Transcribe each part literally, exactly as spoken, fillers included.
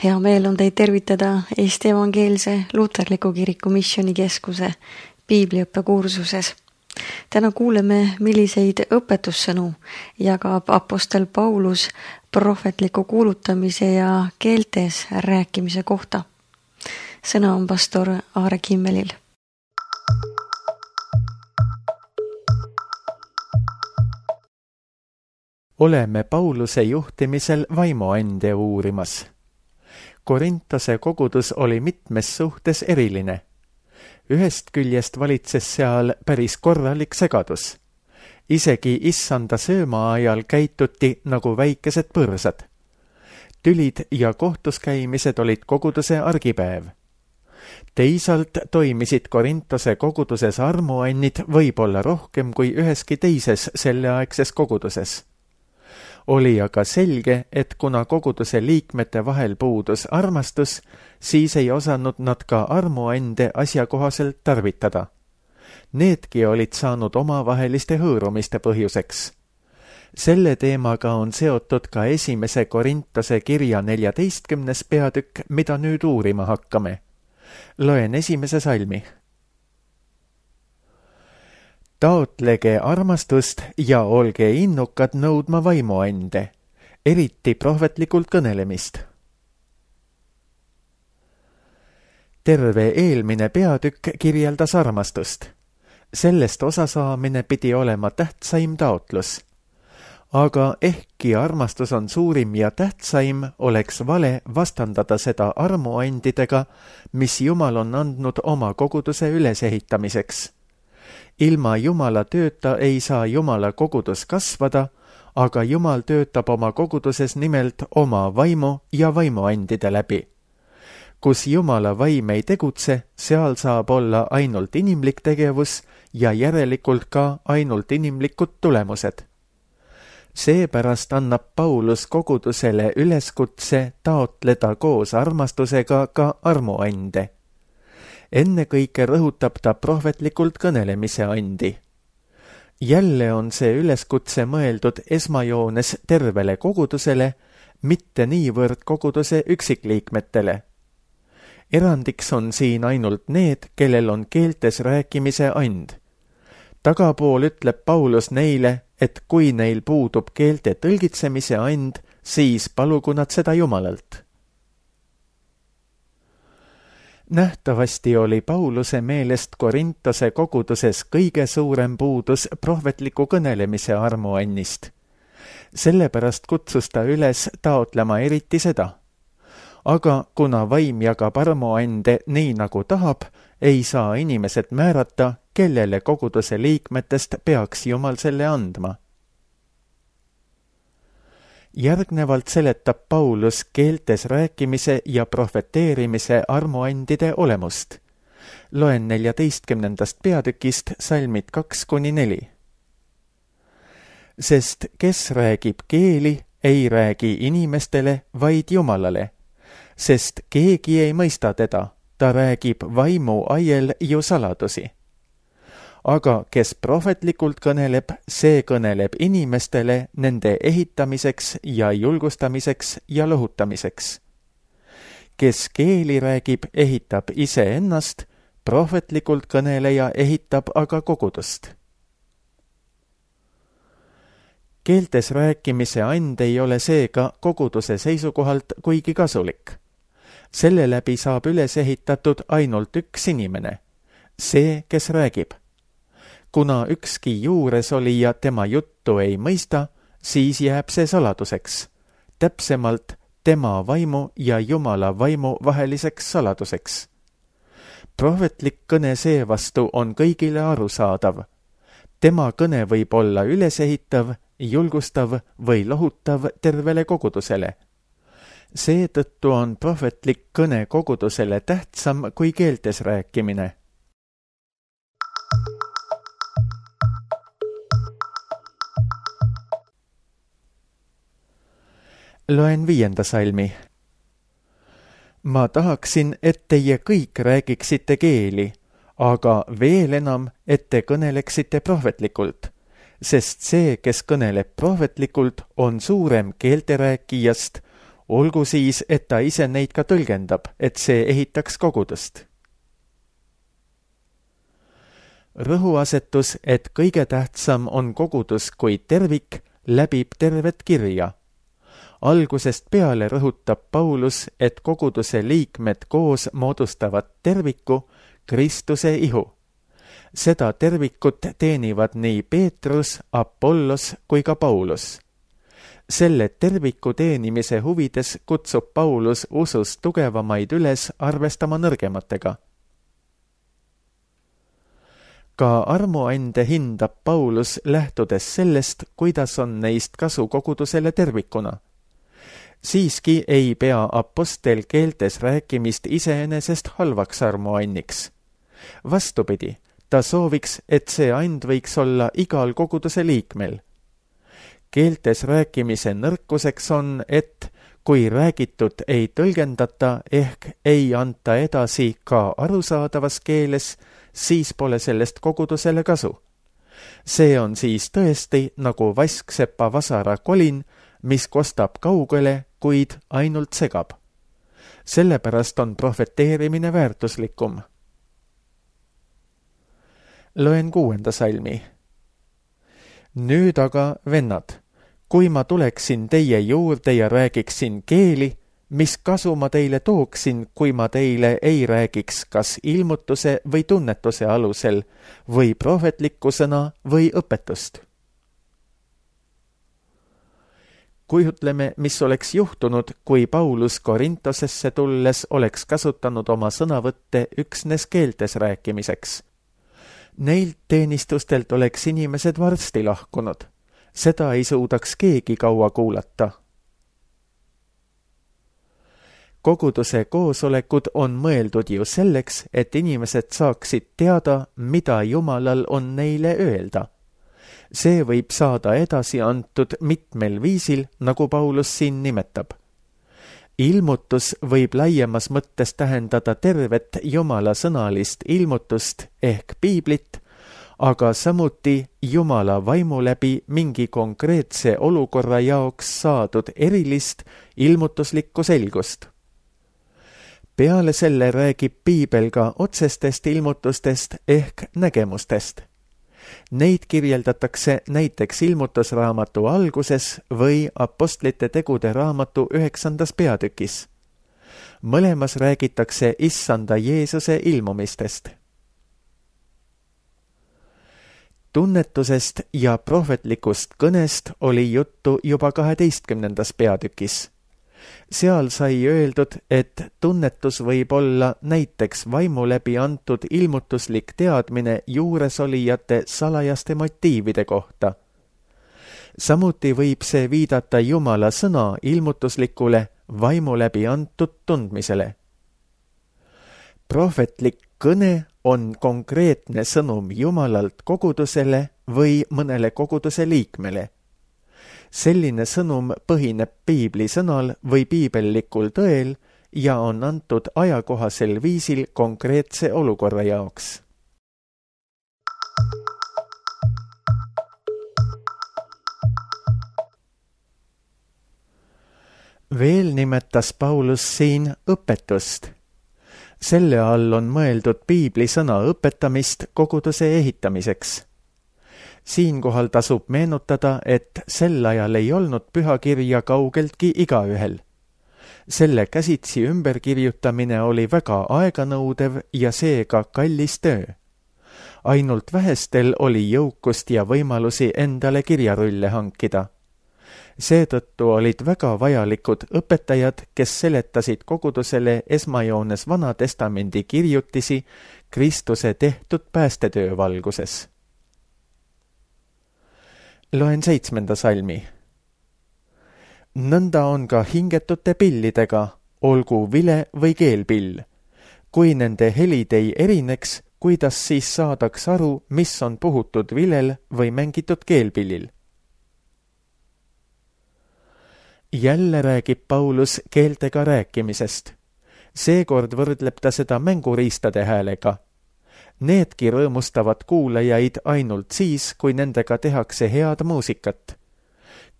Hea meel on teid tervitada Eesti Evangeelse Luterliku Kiriku Missioonikeskuse piibliõppe kursuses. Täna kuuleme, milliseid õpetussõnu jagab apostel Paulus prohvetliku kuulutamise ja keeltes rääkimise kohta. Sõna on pastor Aare Kimmelil. Oleme Pauluse juhtimisel vaimuande uurimas. Korintose kogudus oli mitmes suhtes eriline. Ühest küljest valitses seal päris korralik segadus. Isegi issanda sööma ajal käituti nagu väikesed põrsad. Tülid ja kohtuskäimised olid koguduse argipäev. Teisalt toimisid Korintose koguduses armuannid võib-olla rohkem kui üheski teises selleaegses koguduses. Oli aga selge, et kuna koguduse liikmete vahel puudus armastus, siis ei osanud nad ka armuande asjakohaselt tarvitada. Needki olid saanud omavaheliste hõõrumiste põhjuseks. Selle teemaga on seotud ka esimese Korintose kirja neljateistkümnes peatükk, mida nüüd uurima hakkame. Loen esimese salmi. Taotlege armastust ja olge innukad nõudma vaimuande, eriti prohvetlikult kõnelemist. Terve eelmine peatükk kirjeldas armastust. Sellest osasaamine pidi olema tähtsaim taotlus. Aga ehkki armastus on suurim ja tähtsaim, oleks vale vastandada seda armuandidega, mis Jumal on andnud oma koguduse ülesehitamiseks. Ilma Jumala tööta ei saa Jumala kogudus kasvada, aga Jumal töötab oma koguduses nimelt oma vaimu ja vaimuandide läbi. Kus Jumala vaim ei tegutse, seal saab olla ainult inimlik tegevus ja järelikult ka ainult inimlikud tulemused. Seepärast annab Paulus kogudusele üleskutse taotleda koos armastusega ka armuande. Ennekõike rõhutab ta prohvetlikult kõnelemise andi. Jälle on see üleskutse mõeldud esmajoones tervele kogudusele, mitte niivõrd koguduse üksikliikmetele. Erandiks on siin ainult need, kellel on keeltes rääkimise and. Tagapool ütleb Paulus neile, et kui neil puudub keelte tõlgitsemise and, siis palugu nad seda Jumalalt. Nähtavasti oli Pauluse meelest Korintose koguduses kõige suurem puudus prohvetliku kõnelemise armuannist. Sellepärast kutsus ta üles taotlema eriti seda. Aga kuna vaim jagab armuande nii nagu tahab, ei saa inimesed määrata, kellele koguduse liikmetest peaks Jumal selle andma. Järgnevalt seletab Paulus keeltes rääkimise ja prohveteerimise armuandide olemust. Loen neljateistkümnendast peatükist salmid kaks kuni neli. Sest kes räägib keeli, ei räägi inimestele, vaid Jumalale. Sest keegi ei mõista teda, ta räägib vaimu aiel ju saladusi. Aga kes prohvetlikult kõneleb, see kõneleb inimestele nende ehitamiseks ja julgustamiseks ja lohutamiseks. Kes keeli räägib, ehitab iseennast, prohvetlikult kõneleja ehitab aga kogudust. Keeltes rääkimise and ei ole seega koguduse seisukohalt kuigi kasulik. Selle läbi saab üles ehitatud ainult üks inimene, see, kes räägib. Kuna ükski juures olija tema juttu ei mõista, siis jääb see saladuseks. Täpsemalt tema vaimu ja Jumala vaimu vaheliseks saladuseks. Prohvetlik kõne seevastu on kõigile arusaadav. Tema kõne võib olla ülesehitav, julgustav või lohutav tervele kogudusele. Seetõttu on prohvetlik kõne kogudusele tähtsam kui keeltes rääkimine. Loen viienda salmi. Ma tahaksin, et teie kõik räägiksite keeli, aga veel enam, et te kõneleksite prohvetlikult, sest see, kes kõneleb prohvetlikult, on suurem keelterääkijast, olgu siis, et ta ise neid ka tõlgendab, et see ehitaks kogudust. Rõhuasetus, et kõige tähtsam on kogudus kui tervik, läbib tervet kirja. Algusest peale rõhutab Paulus, et koguduse liikmed koos moodustavad terviku, Kristuse ihu. Seda tervikut teenivad nii Peetrus, Apollos kui ka Paulus. Selle terviku teenimise huvides kutsub Paulus usus tugevamaid üles arvestama nõrgematega. Ka armuande hindab Paulus lähtudes sellest, kuidas on neist kasu kogudusele tervikuna. Siiski ei pea apostel keeltes rääkimist iseenesest halvaks armuanniks. Vastupidi, ta sooviks, et see and võiks olla igal koguduse liikmel. Keeltes rääkimise nõrkuseks on, et kui räägitud ei tõlgendata ehk ei anta edasi ka arusaadavas keeles, siis pole sellest kogudusele kasu. See on siis tõesti nagu vasksepa vasara kolin, mis kostab kaugele, kuid ainult segab. Sellepärast on profeteerimine väärtuslikum. Loen kuuenda salmi. Nüüd aga, vennad, kui ma tuleksin teie juurde ja räägiksin keeli, mis kasu ma teile tooksin, kui ma teile ei räägiks kas ilmutuse või tunnetuse alusel või prohvetliku sõna või õpetust? Kujutleme, mis oleks juhtunud, kui Paulus Korintosesse tulles oleks kasutanud oma sõnavõtte üksnes keeltes rääkimiseks. Neilt teenistustelt oleks inimesed varsti lahkunud. Seda ei suudaks keegi kaua kuulata. Koguduse koosolekud on mõeldud ju selleks, et inimesed saaksid teada, mida Jumalal on neile öelda. See võib saada edasi antud mitmel viisil, nagu Paulus siin nimetab. Ilmutus võib laiemas mõttes tähendada tervet Jumala sõnalist ilmutust ehk piiblit, aga samuti Jumala vaimu läbi mingi konkreetse olukorra jaoks saadud erilist ilmutuslikku selgust. Peale selle räägib piibel ka otsestest ilmutustest ehk nägemustest. Neid kirjeldatakse näiteks ilmutusraamatu alguses või apostlite tegude raamatu üheksandas peatükis. Mõlemas räägitakse issanda Jeesuse ilmumistest. Tunnetusest ja prohvetlikust kõnest oli juttu juba kaheteistkümnendas peatükis. Seal sai öeldud, et tunnetus võib olla näiteks vaimu läbi antud ilmutuslik teadmine juuresolijate salajaste motiivide kohta. Samuti võib see viidata Jumala sõna ilmutuslikule vaimu läbi antud tundmisele. Prohvetlik kõne on konkreetne sõnum Jumalalt kogudusele või mõnele koguduse liikmele. Selline sõnum põhineb piibli sõnal või piibellikul tõel ja on antud ajakohasel viisil konkreetse olukorra jaoks. Veel nimetas Paulus siin õpetust. Selle all on mõeldud piibli sõna õpetamist koguduse ehitamiseks. Siinkohal tasub meenutada, et sel ajal ei olnud pühakirja kaugeltki igaühel. Selle käsitsi ümberkirjutamine oli väga aeganõudev ja seega kallis töö. Ainult vähestel oli jõukust ja võimalusi endale kirjarulle hankida. Seetõttu olid väga vajalikud õpetajad, kes seletasid kogudusele esmajoones Vana Testamendi kirjutisi Kristuse tehtud päästetöö valguses. Loen seitsmenda salmi. Nõnda on ka hingetute pillidega, olgu vile või keelpill. Kui nende helid ei erineks, kuidas siis saadaks aru, mis on puhutud vilel või mängitud keelpillil? Jälle räägib Paulus keeltega rääkimisest. Seekord võrdleb ta seda mänguriistade häälega. Needki rõõmustavad kuulajaid ainult siis, kui nendega tehakse head muusikat.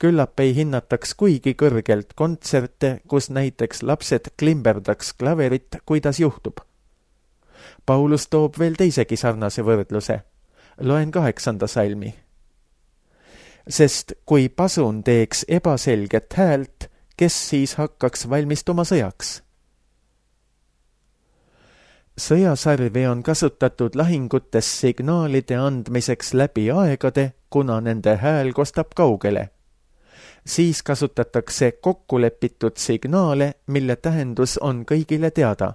küllap ei hinnataks kuigi kõrgelt kontserte, kus näiteks lapsed klimberdaks klaverit, kuidas juhtub. Paulus toob veel teisegi sarnase võrdluse. Loen kaheksanda salmi. Sest kui pasun teeks ebaselget häält, kes siis hakkaks valmistuma sõjaks? Sõjasarvi on kasutatud lahingutes signaalide andmiseks läbi aegade, kuna nende hääl kostab kaugele. Siis kasutatakse kokkulepitud signaale, mille tähendus on kõigile teada.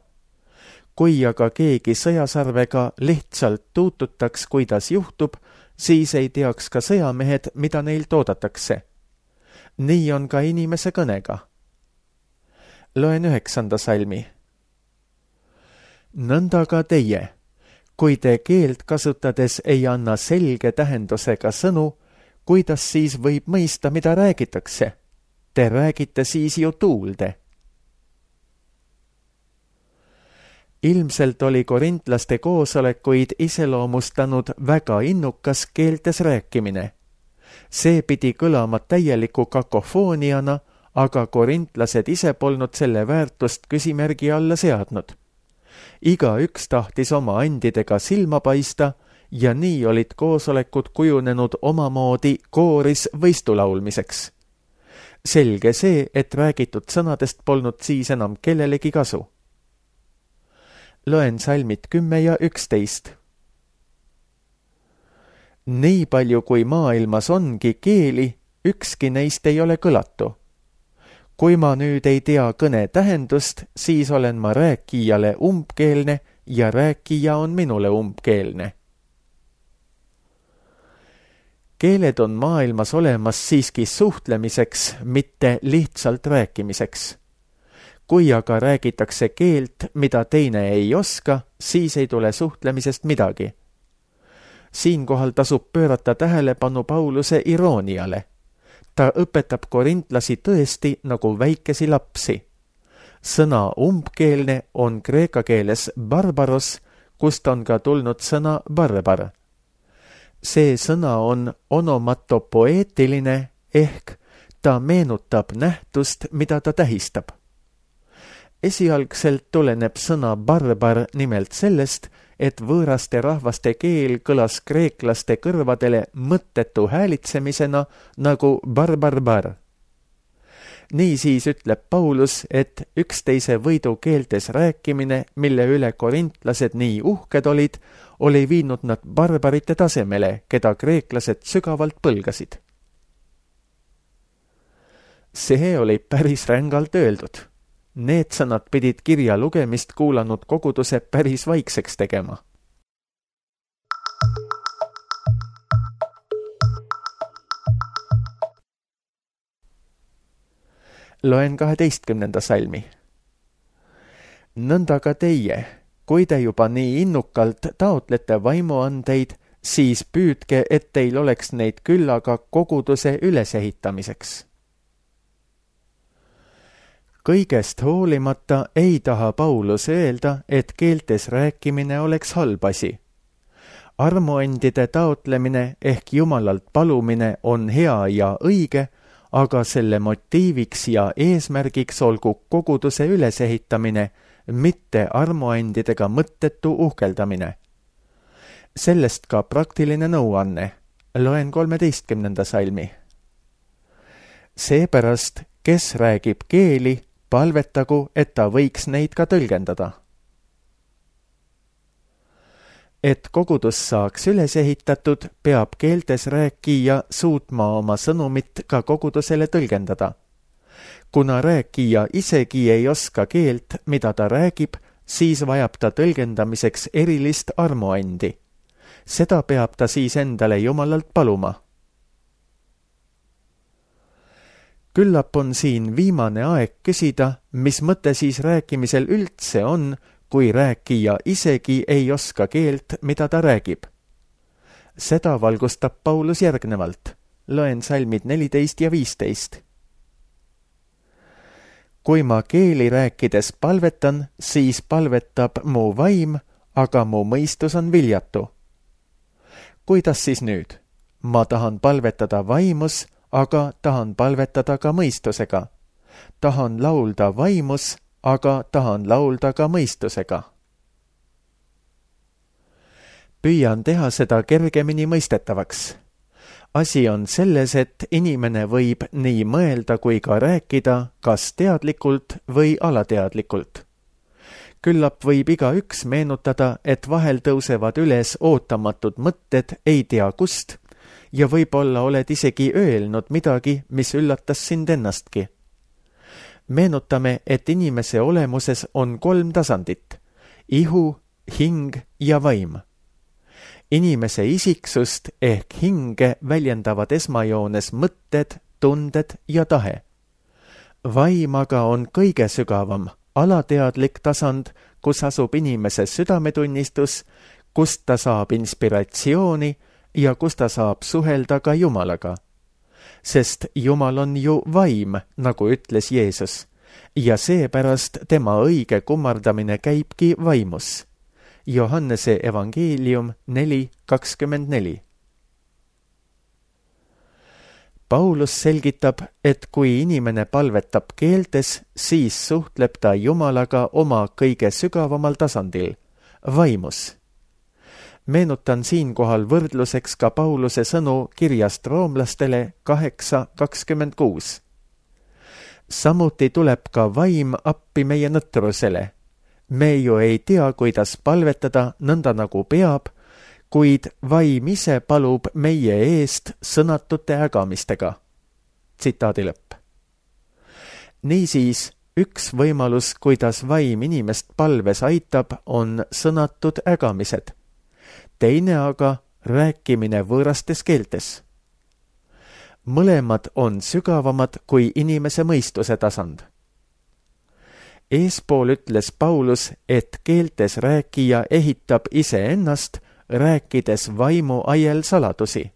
Kui aga keegi sõjasarvega lihtsalt tuututaks, kuidas juhtub, siis ei teaks ka sõjamehed, mida neilt oodatakse. Nii on ka inimese kõnega. Loen üheksanda salmi. Nõnda ka teie, kui te keelt kasutades ei anna selge tähendusega sõnu, kuidas siis võib mõista, mida räägitakse? Te räägite siis ju tuulde. Ilmselt oli korintlaste koosolekuid iseloomustanud väga innukas keeltes rääkimine. See pidi kõlama täieliku kakofooniana, aga korintlased ise polnud selle väärtust küsimärgi alla seadnud. Iga üks tahtis oma andidega silma paista ja nii olid koosolekud kujunenud omamoodi kooris võistulaulmiseks. Selge see, et räägitud sõnadest polnud siis enam kellelegi kasu. Loen salmid kümme ja üksteist. Nii palju kui maailmas ongi keeli, ükski neist ei ole kõlatu. Kui ma nüüd ei tea kõne tähendust, siis olen ma rääkijale umbkeelne ja rääkija on minule umbkeelne. Keeled on maailmas olemas siiski suhtlemiseks, mitte lihtsalt rääkimiseks. Kui aga räägitakse keelt, mida teine ei oska, siis ei tule suhtlemisest midagi. Siinkohal tasub pöörata tähelepanu Pauluse irooniale. Ta õpetab korintlasi tõesti nagu väikesi lapsi. Sõna umbkeelne on kreeka keeles barbaros, kust on ka tulnud sõna barbar. See sõna on onomatopoeetiline ehk ta meenutab nähtust, mida ta tähistab. Esialgselt tuleneb sõna barbar nimelt sellest, et võõraste rahvaste keel kõlas kreeklaste kõrvadele mõttetu häälitsemisena nagu barbarbar. Niisiis ütleb Paulus, et üksteise võidu keeltes rääkimine, mille üle korintlased nii uhked olid, oli viinud nad barbarite tasemele, keda kreeklased sügavalt põlgasid. See oli päris rängalt öeldud. Need sõnad pidid kirja lugemist kuulanud koguduse päris vaikseks tegema. Loen kaheteistkümnenda salmi. Nõnda ka teie, kui te juba nii innukalt taotlete vaimuandeid, siis püüdke, et teil oleks neid küllaga koguduse ülesehitamiseks. Kõigest hoolimata ei taha Paulus öelda, et keeltes rääkimine oleks halb asi. Armuandide taotlemine ehk Jumalalt palumine on hea ja õige, aga selle motiiviks ja eesmärgiks olgu koguduse ülesehitamine, mitte armuandidega mõttetu uhkeldamine. Sellest ka praktiline nõuanne. Loen kolmeteistkümnenda salmi. Seepärast, kes räägib keeli, palvetagu, et ta võiks neid ka tõlgendada. Et kogudus saaks üles ehitatud, peab keeltes rääkija suutma oma sõnumit ka kogudusele tõlgendada. Kuna rääkija isegi ei oska keelt, mida ta räägib, siis vajab ta tõlgendamiseks erilist armuandi. Seda peab ta siis endale Jumalalt paluma. Küllap on siin viimane aeg küsida, mis mõte siis rääkimisel üldse on, kui rääkija isegi ei oska keelt, mida ta räägib. Seda valgustab Paulus järgnevalt. Loen salmid neliteist ja viisteist. Kui ma keeli rääkides palvetan, siis palvetab mu vaim, aga mu mõistus on viljatu. Kuidas siis nüüd? Ma tahan palvetada vaimus, aga tahan palvetada ka mõistusega. Tahan laulda vaimus, aga tahan laulda ka mõistusega. Püüan teha seda kergemini mõistetavaks. Asi on selles, et inimene võib nii mõelda kui ka rääkida, kas teadlikult või alateadlikult. Küllap võib igaüks meenutada, et vahel tõusevad üles ootamatud mõtted ei tea kust ja võib-olla oled isegi öelnud midagi, mis üllatas sind ennastki. Meenutame, et inimese olemuses on kolm tasandit: ihu, hing ja vaim. Inimese isiksust ehk hinge väljendavad esmajoones mõtted, tunded ja tahe. Vaim aga on kõige sügavam, alateadlik tasand, kus asub inimese südametunnistus, kust ta saab inspiratsiooni ja kus ta saab suhelda ka Jumalaga. Sest Jumal on ju vaim, nagu ütles Jeesus, ja seepärast tema õige kummardamine käibki vaimus. Johannese evangeelium neli kakskümmend neli. Paulus selgitab, et kui inimene palvetab keeltes, siis suhtleb ta Jumalaga oma kõige sügavamal tasandil, vaimus. Meenutan siinkohal võrdluseks ka Pauluse sõnu kirjast roomlastele kaheksa kakskümmend kuus. Samuti tuleb ka vaim appi meie nõtrusele. Me ju ei tea, kuidas palvetada nõnda nagu peab, kuid vaim ise palub meie eest sõnatute ägamistega. Tsitaadi lõpp. Niisiis, üks võimalus, kuidas vaim inimest palves aitab, on sõnatud ägamised. Teine aga rääkimine võõrastes keeltes. Mõlemad on sügavamad kui inimese mõistuse tasand. Eespool ütles Paulus, et keeltes rääkija ehitab iseennast, rääkides vaimu aiel saladusi.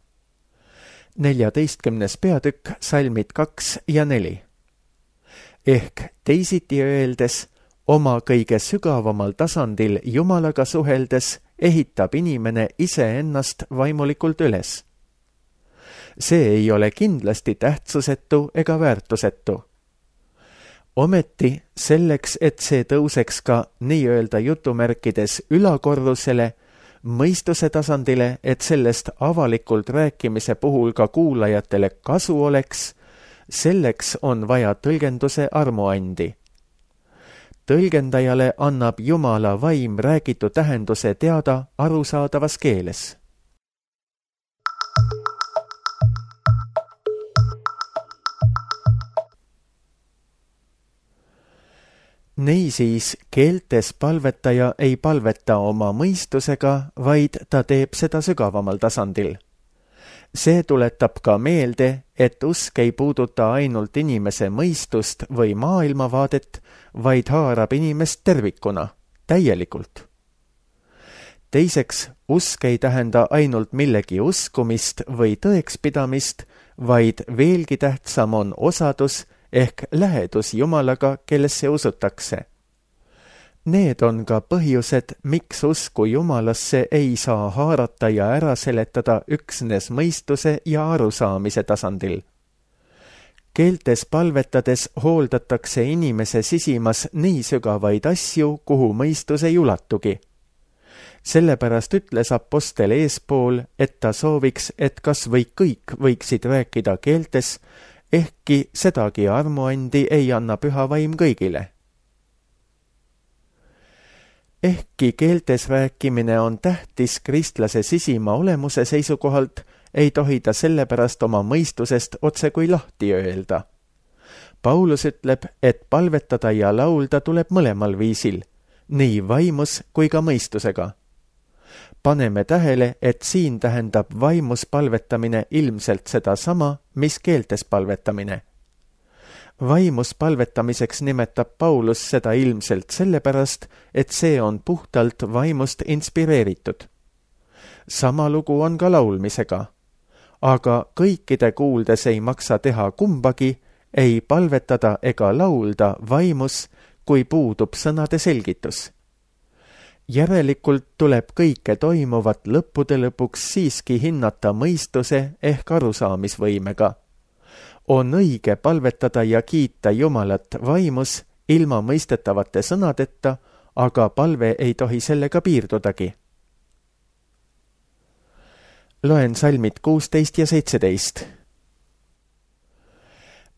neljateistkümnes peatükk, salmid kaks ja neli. Ehk teisiti öeldes, oma kõige sügavamal tasandil Jumalaga suheldes ehitab inimene iseennast vaimulikult üles. See ei ole kindlasti tähtsusetu ega väärtusetu. Ometi selleks, et see tõuseks ka nii-öelda jutumärkides ülakorrusele, mõistuse tasandile, et sellest avalikult rääkimise puhul ka kuulajatele kasu oleks, selleks on vaja tõlgenduse armuandi. Tõlgendajale annab Jumala vaim räägitu tähenduse teada arusaadavas keeles. Niisiis, keeltes palvetaja ei palveta oma mõistusega, vaid ta teeb seda sügavamal tasandil. See tuletab ka meelde, et usk ei puuduta ainult inimese mõistust või maailmavaadet, vaid haarab inimest tervikuna, täielikult. Teiseks, usk ei tähenda ainult millegi uskumist või tõekspidamist, vaid veelgi tähtsam on osadus ehk lähedus Jumalaga, kellesse usutakse. Need on ka põhjused, miks usku Jumalasse ei saa haarata ja ära seletada üksnes mõistuse ja arusaamise tasandil. Keeltes palvetades hooldatakse inimese sisimas nii sügavaid asju, kuhu mõistus ei ulatugi. Sellepärast ütles apostel eespool, et ta sooviks, et kas või kõik võiksid rääkida keeltes, ehkki sedagi armuandi ei anna püha vaim kõigile. Ehkki keeltes rääkimine on tähtis kristlase sisima olemuse seisukohalt, ei tohi ta sellepärast oma mõistusest otse kui lahti öelda. Paulus ütleb, et palvetada ja laulda tuleb mõlemal viisil, nii vaimus kui ka mõistusega. Paneme tähele, et siin tähendab vaimus palvetamine ilmselt sedasama, mis keeltes palvetamine. Vaimus palvetamiseks nimetab Paulus seda ilmselt sellepärast, et see on puhtalt vaimust inspireeritud. Sama lugu on ka laulmisega. Aga kõikide kuuldes ei maksa teha kumbagi, ei palvetada ega laulda vaimus, kui puudub sõnade selgitus. Järelikult tuleb kõike toimuvat lõppude lõpuks siiski hinnata mõistuse ehk arusaamisvõimega. On õige palvetada ja kiita Jumalat vaimus ilma mõistetavate sõnadeta, aga palve ei tohi sellega piirdudagi. Loen salmid kuusteist ja seitseteist.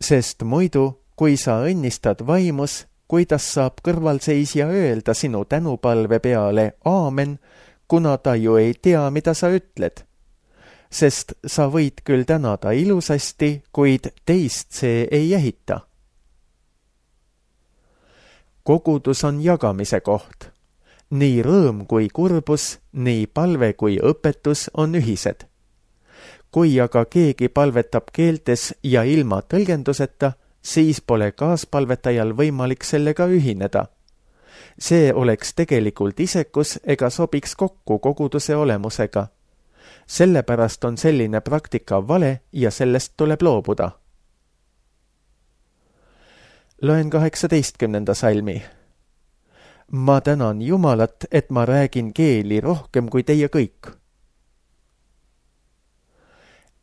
Sest muidu, kui sa õnnistad vaimus, kuidas saab kõrvalseisja öelda sinu tänupalve peale aamen, kuna ta ju ei tea, mida sa ütled. Sest sa võid küll tänada ilusasti, kuid teist see ei ehita. Kogudus on jagamise koht. Nii rõõm kui kurbus, nii palve kui õpetus on ühised. Kui aga keegi palvetab keeltes ja ilma tõlgenduseta, siis pole kaaspalvetajal võimalik sellega ühineda. See oleks tegelikult isekus ega sobiks kokku koguduse olemusega. Sellepärast on selline praktika vale ja sellest tuleb loobuda. Loen kaheksateistkümnenda salmi. Ma tänan Jumalat, et ma räägin keeli rohkem kui teie kõik.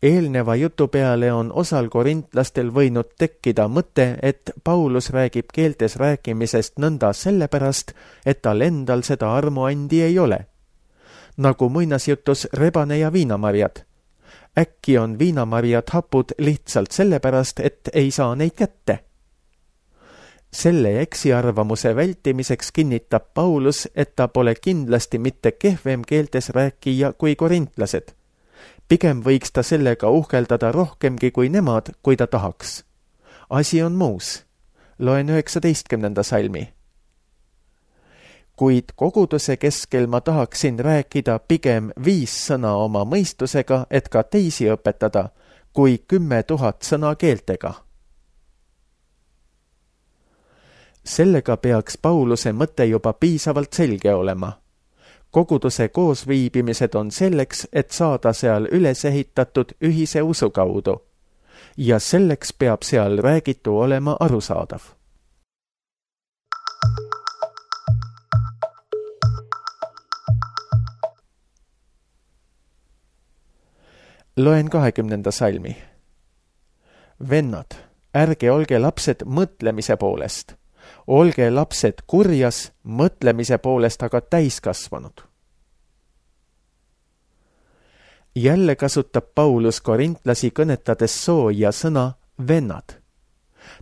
Eelneva jutu peale on osal korintlastel võinud tekkida mõte, et Paulus räägib keeltes rääkimisest nõnda sellepärast, et tal endal seda armuandi ei ole. Nagu muinasjutus rebane ja viinamarjad. Äkki on viinamarjad hapud lihtsalt sellepärast, et ei saa neid kätte. Selle eksiarvamuse vältimiseks kinnitab Paulus, et ta pole kindlasti mitte kehvem keeltes rääkija kui korintlased. Pigem võiks ta sellega uhkeldada rohkemgi kui nemad, kui ta tahaks. Asi on muus. Loen üheksateistkümnenda salmi. Kuid koguduse keskel ma tahaksin rääkida pigem viis sõna oma mõistusega, et ka teisi õpetada, kui kümme tuhat sõna keeltega. Sellega peaks Pauluse mõte juba piisavalt selge olema. Koguduse koosviibimised on selleks, et saada seal üles ehitatud ühise usu kaudu. Ja selleks peab seal räägitu olema arusaadav. Loen kahekümnenda salmi. Vennad, ärge olge lapsed mõtlemise poolest. Olge lapsed kurjas, mõtlemise poolest aga täiskasvanud. Jälle kasutab Paulus korintlasi kõnetades soo ja sõna vennad.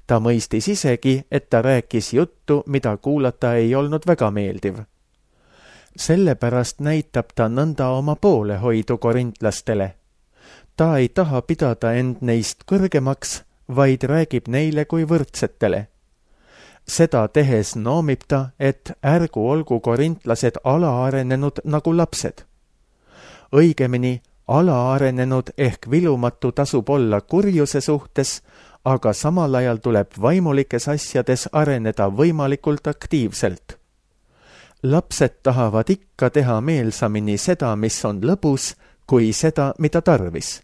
Ta mõistis isegi, et ta rääkis juttu, mida kuulata ei olnud väga meeldiv. Sellepärast näitab ta nõnda oma poolehoidu korintlastele. Ta ei taha pidada end neist kõrgemaks, vaid räägib neile kui võrdsetele. Seda tehes noomib ta, et ärgu olgu korintlased alaarenenud nagu lapsed. Õigemini, alaarenenud ehk vilumatu tasub olla kurjuse suhtes, aga samal ajal tuleb vaimulikes asjades areneda võimalikult aktiivselt. Lapsed tahavad ikka teha meelsamini seda, mis on lõbus, kui seda, mida tarvis.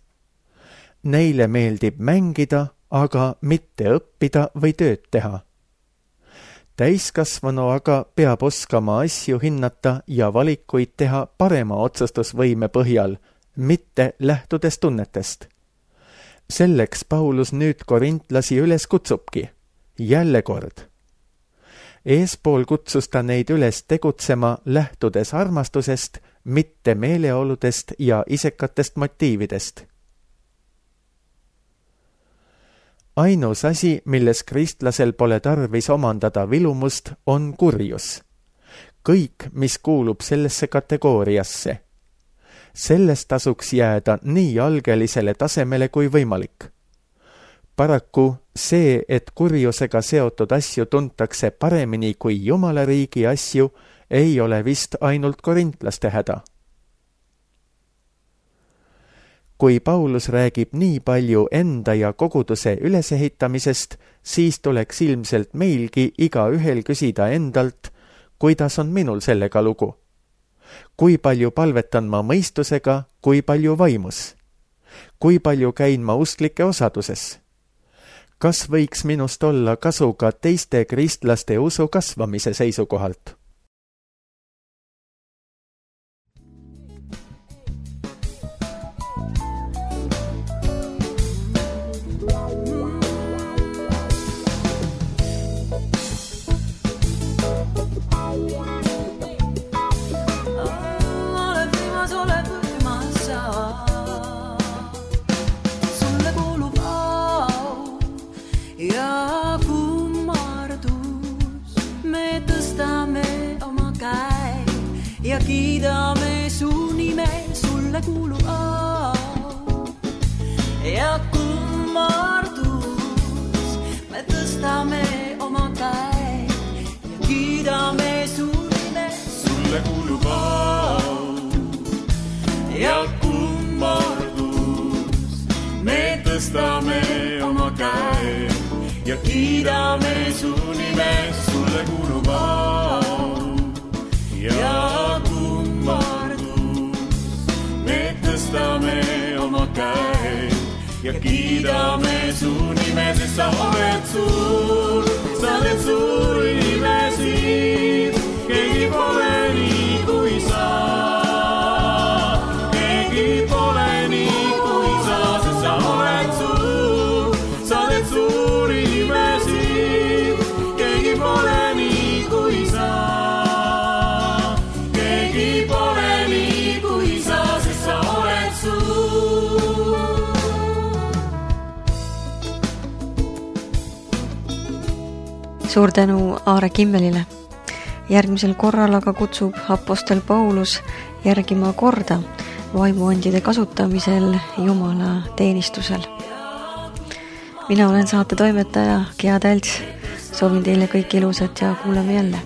Neile meeldib mängida, aga mitte õppida või tööd teha. Täiskasvanu aga peab oskama asju hinnata ja valikuid teha parema otsustusvõime põhjal, mitte lähtudes tunnetest. Selleks Paulus nüüd korintlasi üles kutsubki. Jälle kord. Eespool kutsus ta neid üles tegutsema lähtudes armastusest, mitte meeleoludest ja isekatest motiividest. Ainus asi, milles kristlasel pole tarvis omandada vilumust, on kurjus. Kõik, mis kuulub sellesse kategooriasse. Sellest tasuks jääda nii algelisele tasemele kui võimalik. Paraku see, et kurjusega seotud asju tuntakse paremini kui Jumala riigi asju, ei ole vist ainult korintlaste häda. Kui Paulus räägib nii palju enda ja koguduse ülesehitamisest, siis tuleks ilmselt meilgi iga ühel küsida endalt, kuidas on minul sellega lugu. Kui palju palvetan ma mõistusega, kui palju vaimus? Kui palju käin ma usklike osaduses? Kas võiks minust olla kasu ka teiste kristlaste usu kasvamise seisukohalt? Mm-hmm. kiidame su nime, sulle kuulub au ja kummardus. Me tõstame oma käe ja kiidame su nime, sulle kuulub au ja kummardus. Me tõstame oma käe ja kiidame su nime, sulle kuulub au ja kummardus. Me tõstame oma käe ja kiidame su nime, sest sa oled suur, sa oled suur inimesi, keegi pole nii kui sa, keegi pole nii kui sa, sest sa oled suur, sa oled suur inimesi, keegi pole nii kui sa, keegi pole nii kui sa, sest sa oled suur. Suur tänu Aare Kimmelile. Järgmisel korral aga kutsub apostel Paulus järgima korda vaimuandide kasutamisel Jumala teenistusel. Mina olen saate toimetaja Gea Tälts. Soovin teile kõik ilusat ja kuuleme jälle.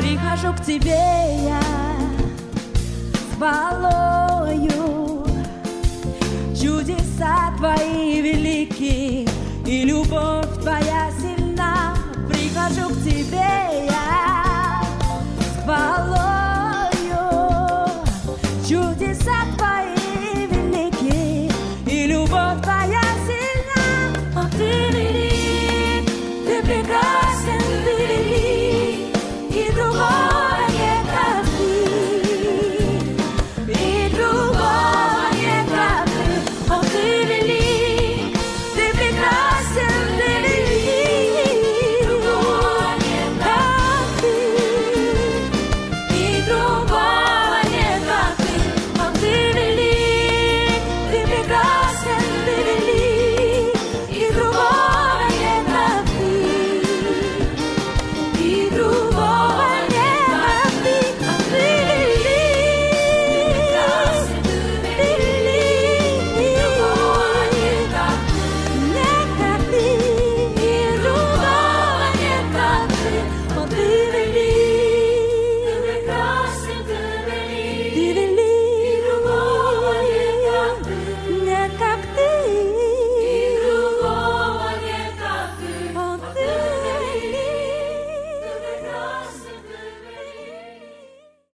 Прихожу к тебе я с хвалою, чудеса твои велики и любовь твоя сильна. Прихожу к тебе я с хвалою, чудеса